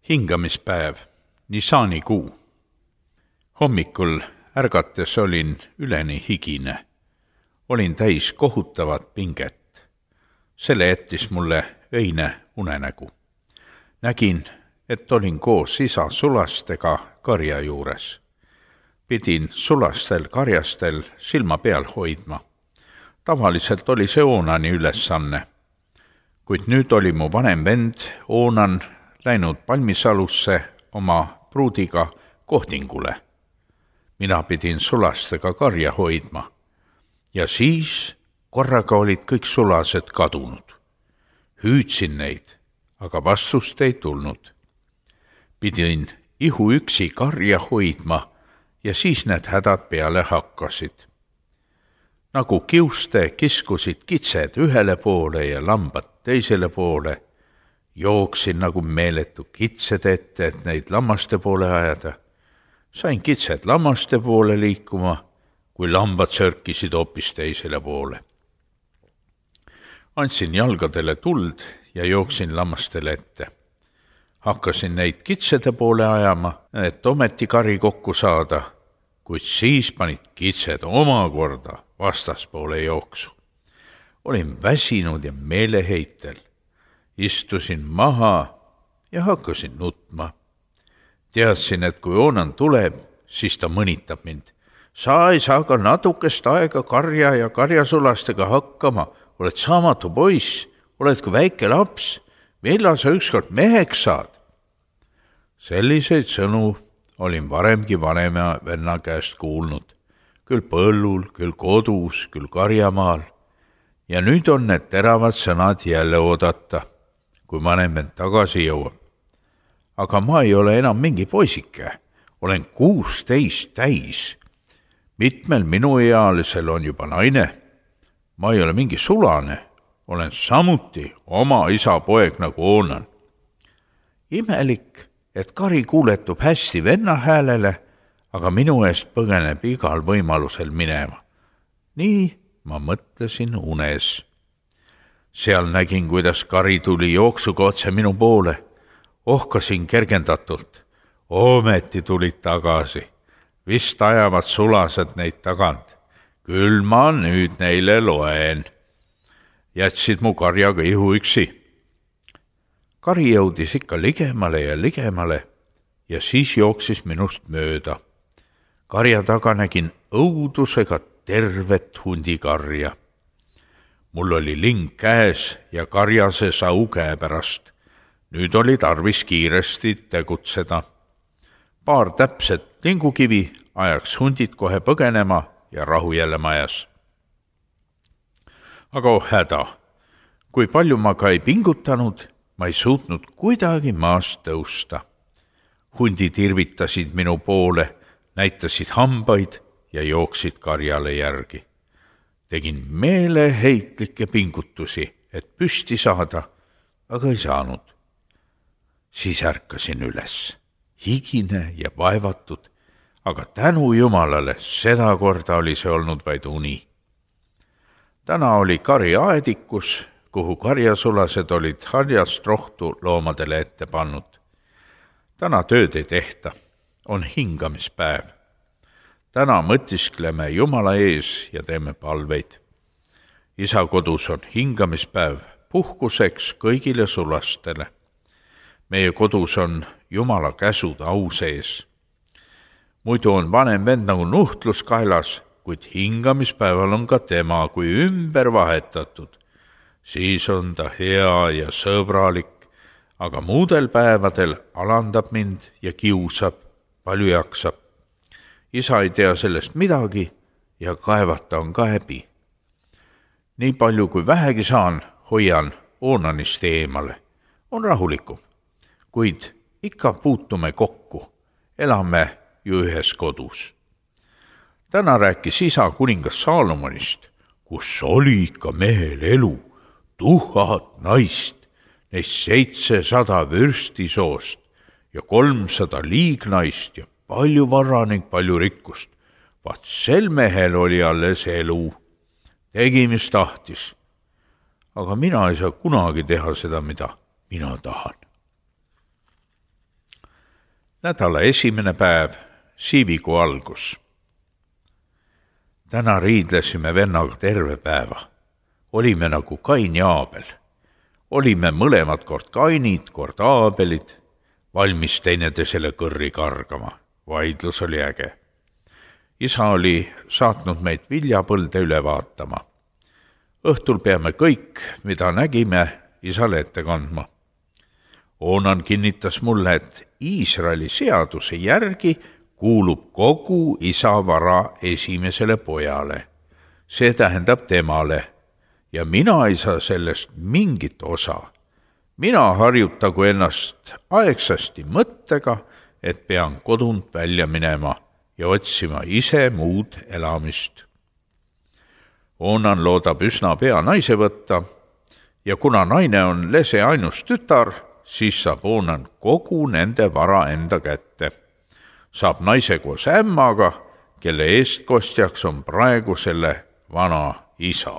Hingamispäev, Nisanikuu. Hommikul ärgates olin üleni higine. Olin täis kohutavat pinget. Selle jättis mulle öine unenägu. Nägin, et olin koos isa sulastega karja juures. Pidin sulastel karjastel silma peal hoidma. Tavaliselt oli see Oonani ülesanne. Kuid nüüd oli mu vanem vend Oonan läinud Palmisalusse oma pruudiga Kohdingule. Mina pidin sulastega karja hoidma. Ja siis korraga olid kõik sulased kadunud. Hüüdsin neid, aga vastust ei tulnud. Pidin ihuüksi karja hoidma ja siis need hädad peale hakkasid. Nagu kiuste kiskusid kitsed ühele poole ja lambad teisele poole, jooksin nagu meeletu kitsed ette, et neid lammaste poole ajada. Sain kitsed lammaste poole liikuma, kui lambad sörkisid hoopis teisele poole. Andsin jalgadele tuld ja jooksin lammastele ette. Hakkasin neid kitsede poole ajama, et ometi kari kokku saada, kuid siis panid kitsed omakorda vastaspoole jooksu. Olin väsinud ja meeleheitel. Istusin maha ja hakkasin nutma. Teadsin, et kui Oonan tuleb, siis ta mõnitab mind. Sa ei saa ka natukest aega karja ja karjasulastega hakkama. Oled saamatu poiss, oled ka väike laps. Millal sa ükskord meheks saad? Selliseid sõnu olin varemgi vanema venna käest kuulnud. Küll põllul, küll kodus, küll karjamaal. Ja nüüd on need teravad sõnad jälle oodata, kui vanem vend tagasi jõuab. Aga ma ei ole enam mingi poisike. Olen 16 täis. Mitmel minuealisel on juba naine. Ma ei ole mingi sulane. Olen samuti oma isa poeg nagu Oonan. Imelik, et kari kuuletub hästi venna häälele, aga minu eest põgeneb igal võimalusel minema. Nii ma mõtlesin unes. Seal nägin, kuidas kari tuli jooksuga otse minu poole. Ohkasin kergendatult. Ometi tulid tagasi. Vist ajavad sulased neid tagant. Küll ma nüüd neile loen. Jätsid mu karjaga ihuüksi. Kari jõudis ikka ligemale ja ligemale ja siis jooksis minust mööda. Karja taga nägin õudusega tervet hundikarja. Mul oli ling käes ja karjase sau käe pärast. Nüüd oli tarvis kiiresti tegutseda. Paar täpset lingukivi ajaks hundid kohe põgenema ja rahu jälle majas. Aga häda, kui palju ma ka ei pingutanud, ma ei suutnud kuidagi maast tõusta. Hundid irvitasid minu poole, näitasid hambaid ja jooksid karjale järgi. Tegin meeleheitlikke pingutusi, et püsti saada, aga ei saanud. Siis ärkasin üles, higine ja vaevatud, aga tänu Jumalale seda korda oli see olnud vaid uni. Täna oli kari aedikus, kuhu karjasulased olid harjast rohtu loomadele ette pannud. Täna tööd ei tehta, on hingamispäev. Täna mõtiskleme Jumala ees ja teeme palveid. Isa kodus on hingamispäev puhkuseks kõigile sulastele. Meie kodus on Jumala käsud au sees. Muidu on vanem vend nagu nuhtlus kaelas, kuid hingamispäeval on ka tema kui ümber vahetatud. Siis on ta hea ja sõbralik, aga muudel päevadel alandab mind ja kiusab, palju jaksab. Isa ei tea sellest midagi ja kaevata on ka häbi. Nii palju kui vähegi saan, hoian Oonanist eemale. On rahulikum, kuid ikka puutume kokku, elame ju ühes kodus. Täna rääkis isa kuningas Saalomonist, kus oli ikka mehel elu, 1000 naist, neist 700 vürstisoost ja 300 liignaist ja palju vara ning palju rikkust. Vaat sel mehel oli alles elu. Tegi, mis tahtis. Aga mina ei saa kunagi teha seda, mida mina tahan. Nädala esimene päev, siivikuu algus. Täna riidlesime vennaga terve päeva. Olime nagu Kain ja Aabel. Olime mõlemad kord Kainid, kord Aabelid, valmis teineteisele kõrri kargama. Vaidlus oli äge. Isa oli saatnud meid viljapõlde üle vaatama. Õhtul peame kõik, mida nägime, isale ette kandma. Oonan kinnitas mulle, et Iisraeli seaduse järgi kuulub kogu isa vara esimesele pojale. See tähendab temale ja mina ei saa sellest mingit osa. Mina harjutagu ennast aegsasti mõttega, et pean kodunt välja minema ja otsima ise muud elamist. Oonan loodab üsna pea naise võtta ja kuna naine on lese ainus tütar, siis saab Oonan kogu nende vara enda kätte. Saab naise koos ämmaga, kelle eestkostjaks on praegu selle vana isa.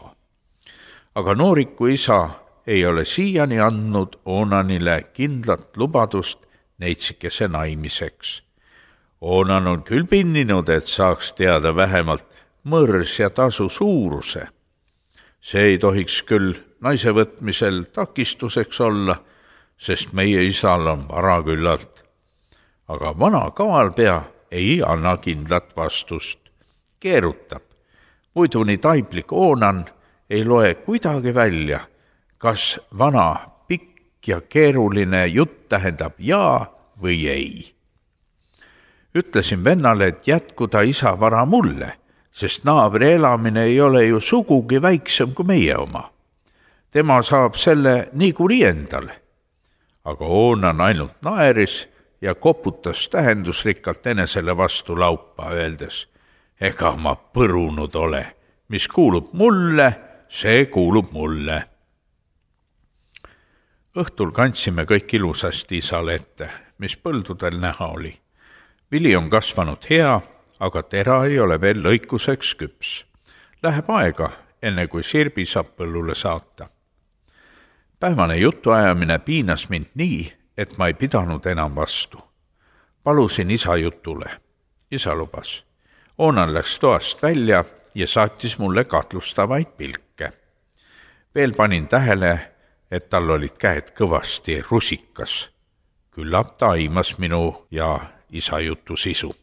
Aga nooriku isa ei ole siiani andnud Oonanile kindlat lubadust neitsikese naimiseks. Oonan on küll pinninud, et saaks teada vähemalt mõrs ja tasu suuruse. See ei tohiks küll naise võtmisel takistuseks olla, sest meie isal on vara küllalt. Aga vana kavalpea ei anna kindlat vastust. Keerutab. Muidu nii taiplik Oonan ei loe kuidagi välja, kas vana pikk ja keeruline jutt tähendab jaa või ei. Ütlesin vennale, et jätkuda isa vara mulle, sest naabri elamine ei ole ju sugugi väiksem kui meie oma. Tema saab selle niikuinii endale. Aga Oonan ainult naeris ja koputas tähendusrikkalt enesele vastu laupa, öeldes, ega ma põrunud ole, mis kuulub mulle, see kuulub mulle. Õhtul kandsime kõik ilusasti isale ette, mis põldudel näha oli. Vili on kasvanud hea, aga tera ei ole veel lõikuseks küps. Läheb aega, enne kui sirbi saab põllule saata. Päevane jutuajamine piinas mind nii, et ma ei pidanud enam vastu. Palusin isa jutule. Isa lubas. Oonan läks toast välja ja saatis mulle katlustavaid pilke. Veel panin tähele, et tal olid käed kõvasti rusikas. Küllap ta aimas minu ja isa jutu sisu.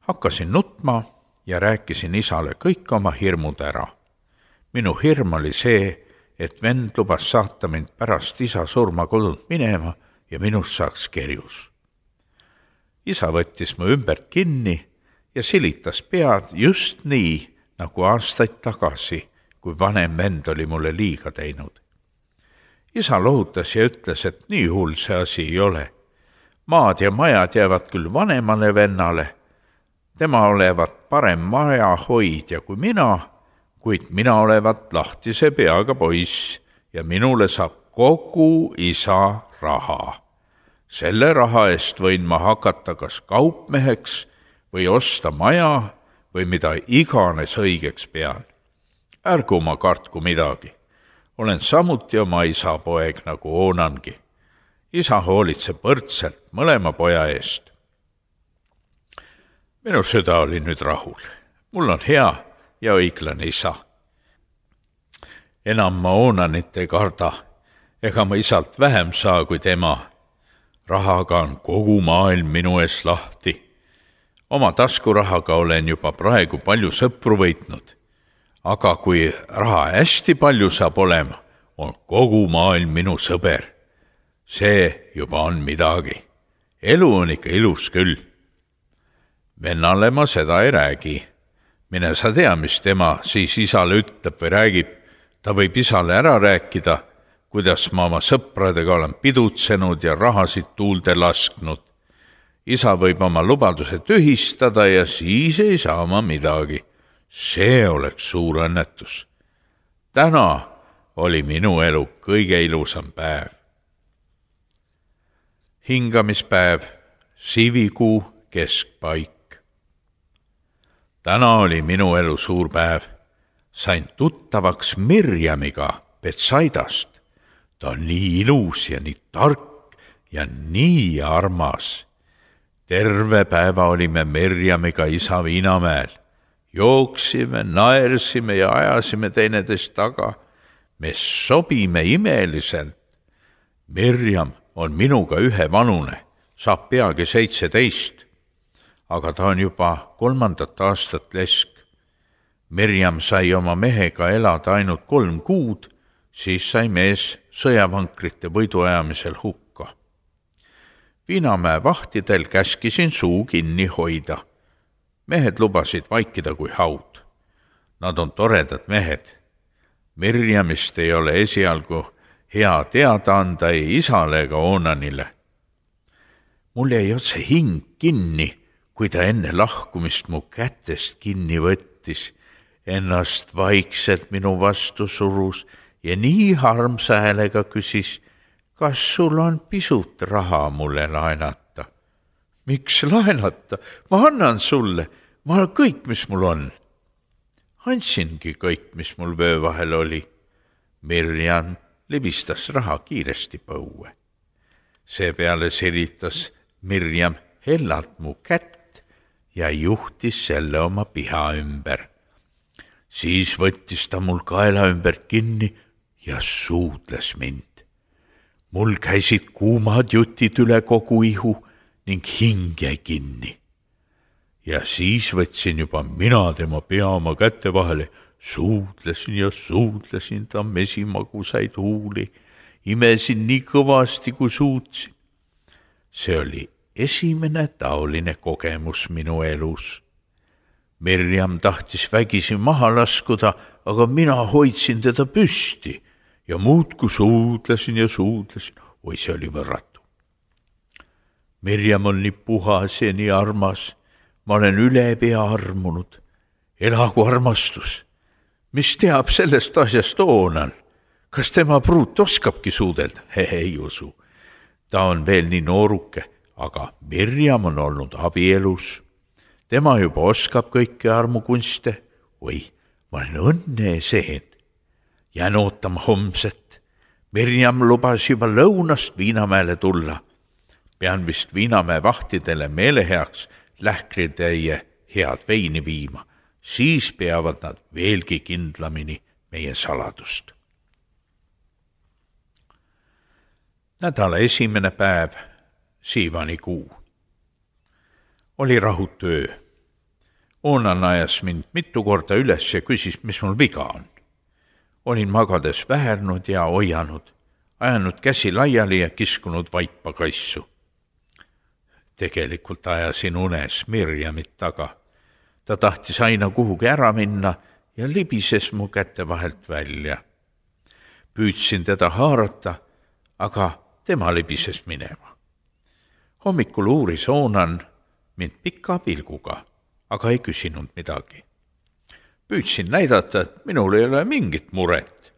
Hakkasin nutma ja rääkisin isale kõik oma hirmud ära. Minu hirm oli see, et vend lubas saata mind pärast isa surma kodunt minema ja minust saaks kerjus. Isa võttis mu ümbert kinni ja silitas pead just nii, nagu aastaid tagasi, kui vanem vend oli mulle liiga teinud. Isa lohutas ja ütles, et nii hull see asi ei ole. Maad ja majad jäävad küll vanemale vennale. Tema olevat parem maja hoidja kui mina, kuid mina olevat lahtise peaga poiss ja minule saab kogu isa raha. Selle raha eest võin ma hakata kas kaupmeheks või osta maja või mida iganes õigeks pean. Ärgu ma kartku midagi. Olen samuti oma isa poeg nagu Oonangi. Isa hoolitseb võrdselt mõlema poja eest. Minu süda oli nüüd rahul. Mul on hea ja õiglane isa. Enam ma Oonanit ei karda, ega ma isalt vähem saa kui tema. Rahaga on kogu maailm minu ees lahti. Oma taskurahaga olen juba praegu palju sõpru võitnud. Aga kui raha hästi palju saab olema, on kogu maailm minu sõber. See juba on midagi. Elu on ikka ilus küll. Vennale ma seda ei räägi. Mine sa tea, mis tema siis isale ütleb või räägib. Ta võib isale ära rääkida, kuidas ma oma sõpradega olen pidutsenud ja rahasid tuulde lasknud. Isa võib oma lubaduse tühistada ja siis ei saa ma midagi. See oleks suur õnnetus. Täna oli minu elu kõige ilusam päev. Hingamispäev, siivikuu keskpaik. Täna oli minu elu suur päev. Sain tuttavaks Mirjamiga Betsaidast. Ta on nii ilus ja nii tark ja nii armas. Terve päeva olime Mirjamiga isa Viinamäel. Jooksime, naersime ja ajasime teineteist taga. Me sobime imeliselt. Mirjam on minuga ühevanune, saab peagi 17, aga ta on juba 3. aastat lesk. Mirjam sai oma mehega elada ainult 3 kuud, siis sai mees sõjavankrite võiduajamisel hukka. Viinamäe vahtidel käskisin suu kinni hoida. Mehed lubasid vaikida kui haud. Nad on toredad mehed. Mirjamist ei ole esialgu hea teada anda ei isale ega Onanile. Mul jäi otse hing kinni, kui ta enne lahkumist mu kätest kinni võttis, ennast vaikselt minu vastu surus ja nii harmsa häälega küsis, kas sul on pisut raha mulle laenata? Miks laenata? Ma annan sulle. Ma annan kõik, mis mul on. Andsingi kõik, mis mul vöö vahel oli. Mirjam libistas raha kiiresti põue. Seepeale siritas Mirjam hellalt mu kätt ja juhtis selle oma piha ümber. Siis võttis ta mul kaela ümbert kinni ja suudles mind. Mul käisid kuumad jutid üle kogu ihu ning hing jäi kinni. Ja siis võtsin juba mina tema pea oma kätte vahele, suudlesin ja suudlesin ta mesimagusaid huuli, imesin nii kõvasti, kui suutsin. See oli esimene taoline kogemus minu elus. Mirjam tahtis vägisi maha laskuda, aga mina hoidsin teda püsti ja muudkui suudlesin ja suudlesin. Oi, see oli võrratu. Mirjam on nii puhas ja nii armas. Ma olen üle pea armunud. Elagu armastus. Mis teab sellest asjast Onan? Kas tema pruut oskabki suudelda? Ei usu. Ta on veel nii nooruke, aga Mirjam on olnud abielus. Tema juba oskab kõiki armukunste. Oi, ma olen õnne seen. Jään ootama homset. Mirjam lubas juba lõunast Viinamäele tulla. Pean vist Viinamäe vahtidele meeleheaks lähkritäie head veini viima. Siis peavad nad veelgi kindlamini meie saladust. Nädala esimene päev, siivanikuu. Oli rahutu öö. Onan ajas mind mitu korda üles ja küsis, mis mul viga on. Olin magades väärnud ja hoianud, ajanud käsi laiali ja kiskunud vaipa kassu. Tegelikult ajasin unes Mirjamit taga. Ta tahtis aina kuhugi ära minna ja libises mu kätte vahelt välja. Püüdsin teda haarata, aga tema libises minema. Hommikul uuris Onan mind pika pilguga, aga ei küsinud midagi. Püüdsin näidata, et minul ei ole mingit muret.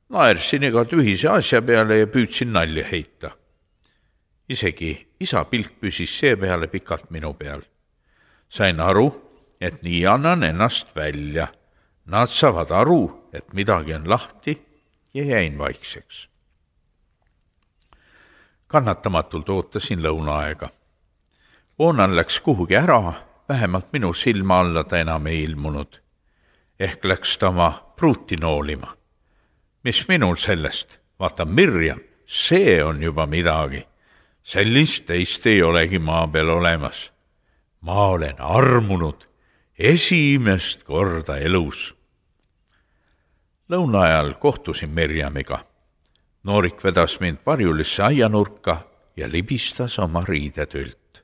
Naersin iga tühise asja peale ja püüdsin nalja heita. Isegi isa pilk püsis seepeale pikalt minu peal. Sain aru, et nii annan ennast välja. Nad saavad aru, et midagi on lahti ja jäin vaikseks. Kannatamatult ootasin lõunaaega. Onan läks kuhugi ära, vähemalt minu silma alla ta enam ei ilmunud. Ehk läks ta oma pruuti noolima. Mis minul sellest? Vaata, Mirjam, see on juba midagi. Sellist teist ei olegi maa peal olemas. Ma olen armunud esimest korda elus. Lõunaajal kohtusin Mirjamiga. Noorik vedas mind varjulisse aianurka ja libistas oma riidetült.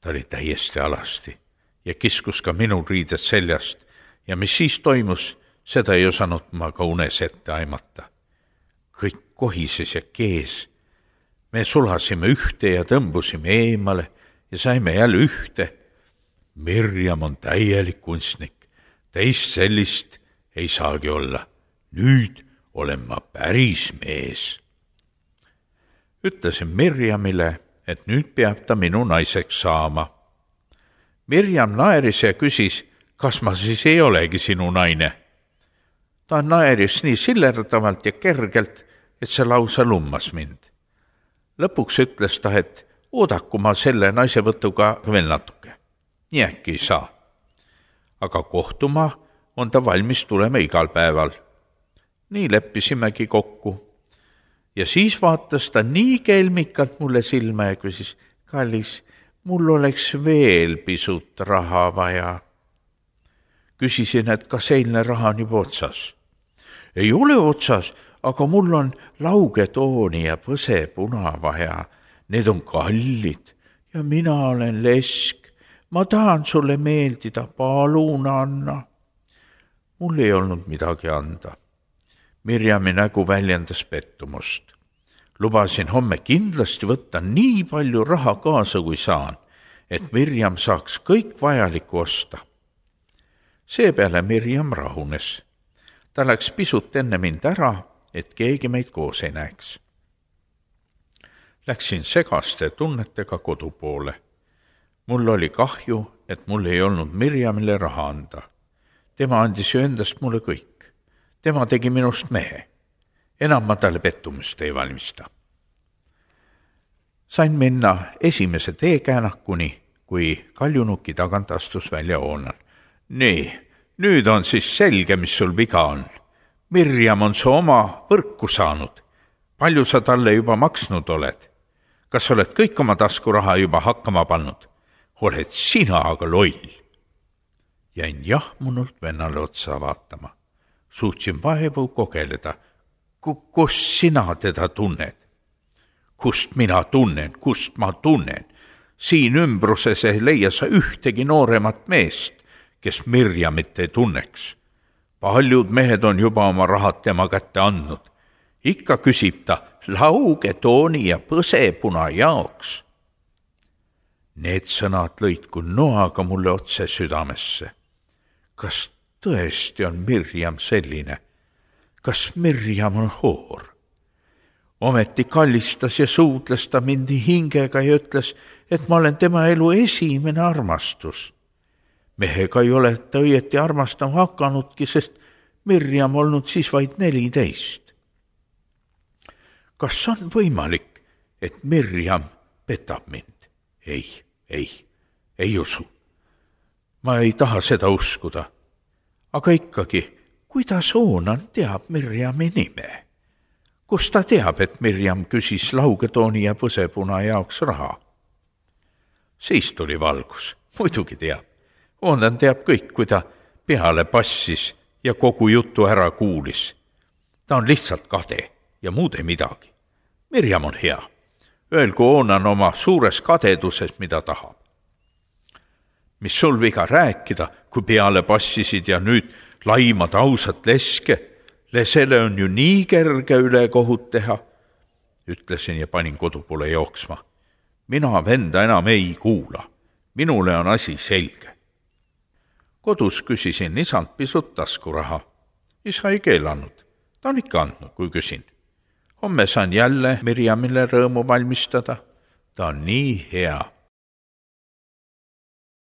Ta oli täiesti alasti ja kiskus ka minu riided seljast ja mis siis toimus, seda ei osanud ma ka unes ette aimata. Kõik kohises ja kees. Me sulasime ühte ja tõmbusime eemale ja saime jälle ühte. Mirjam on täielik kunstnik. Teist sellist ei saagi olla. Nüüd olen ma päris mees. Ütlesin Mirjamile, et nüüd peab ta minu naiseks saama. Mirjam naeris ja küsis, kas ma siis ei olegi sinu naine. Ta naeris nii sillerdavalt ja kergelt, et see lausa lummas mind. Lõpuks ütles ta, et oodaku ma selle naisevõtuga veel natuke. Nii äkki ei saa. Aga kohtuma on ta valmis tulema igal päeval. Nii leppisimegi kokku. Ja siis vaatas ta nii kelmikalt mulle silma ja küsis, kallis, mul oleks veel pisut raha vaja. Küsisin, et kas eilne raha on juba otsas. Ei ole otsas, aga mul on laugetooni ja põsepuna vaja. Need on kallid ja mina olen lesk. Ma tahan sulle meeldida, palun anna. Mul ei olnud midagi anda. Mirjami nägu väljendas pettumust. Lubasin homme kindlasti võtta nii palju raha kaasa, kui saan, et Mirjam saaks kõik vajaliku osta. Seepeale Mirjam rahunes. Ta läks pisut enne mind ära, et keegi meid koos ei näeks. Läksin segaste tunnetega kodu poole. Mul oli kahju, et mul ei olnud Mirjamile raha anda. Tema andis ju endast mulle kõik. Tema tegi minust mehe. Enam ma talle pettumust ei valmista. Sain minna esimese teekäänakuni, kui Kaljunuki tagant astus välja Oonan. Nii, nüüd on siis selge, mis sul viga on. Mirjam on su oma võrku saanud. Palju sa talle juba maksnud oled? Kas oled kõik oma taskuraha juba hakkama pannud? Oled sina aga loll. Jäin jahmunult vennale otsa vaatama. Suutsin vaevu kogeleda. Kust sina teda tunned? Kust mina tunnen? Kust ma tunnen? Siin ümbruses ei leia sa ühtegi nooremat meest, kes Mirjamit ei tunneks. Paljud mehed on juba oma rahad tema kätte andnud. Ikka küsib ta laugetooni ja põsepuna jaoks. Need sõnad lõid kui noaga mulle otse südamesse. Kas tõesti on Mirjam selline? Kas Mirjam on hoor? Ometi kallistas ja suudles ta mind hingega ja ütles, et ma olen tema elu esimene armastus. Mehega ei ole ta õieti armastama hakanudki, sest Mirjam olnud siis vaid 14. Kas on võimalik, et Mirjam petab mind? Ei usu. Ma ei taha seda uskuda. Aga ikkagi, kuidas Oonan teab Mirjami nime? Kus ta teab, et Mirjam küsis laugetooni ja põsepuna jaoks raha? Siis tuli valgus. Muidugi teab. Oonan teab kõik, kui ta peale passis ja kogu jutu ära kuulis. Ta on lihtsalt kade ja muud ei midagi. Mirjam on hea. Öelgu Oonan oma suures kadeduses, mida tahab. Mis sul viga rääkida, kui peale passisid ja nüüd laimad ausat leske? Lesele on ju nii kerge üle kohut teha, ütlesin ja panin kodu poole jooksma. Mina venda enam ei kuula. Minule on asi selge. Kodus küsisin isalt pisut taskuraha. Isa ei keelanud. Ta on ikka andnud, kui küsin. Homme saan jälle Mirjamile rõõmu valmistada. Ta on nii hea.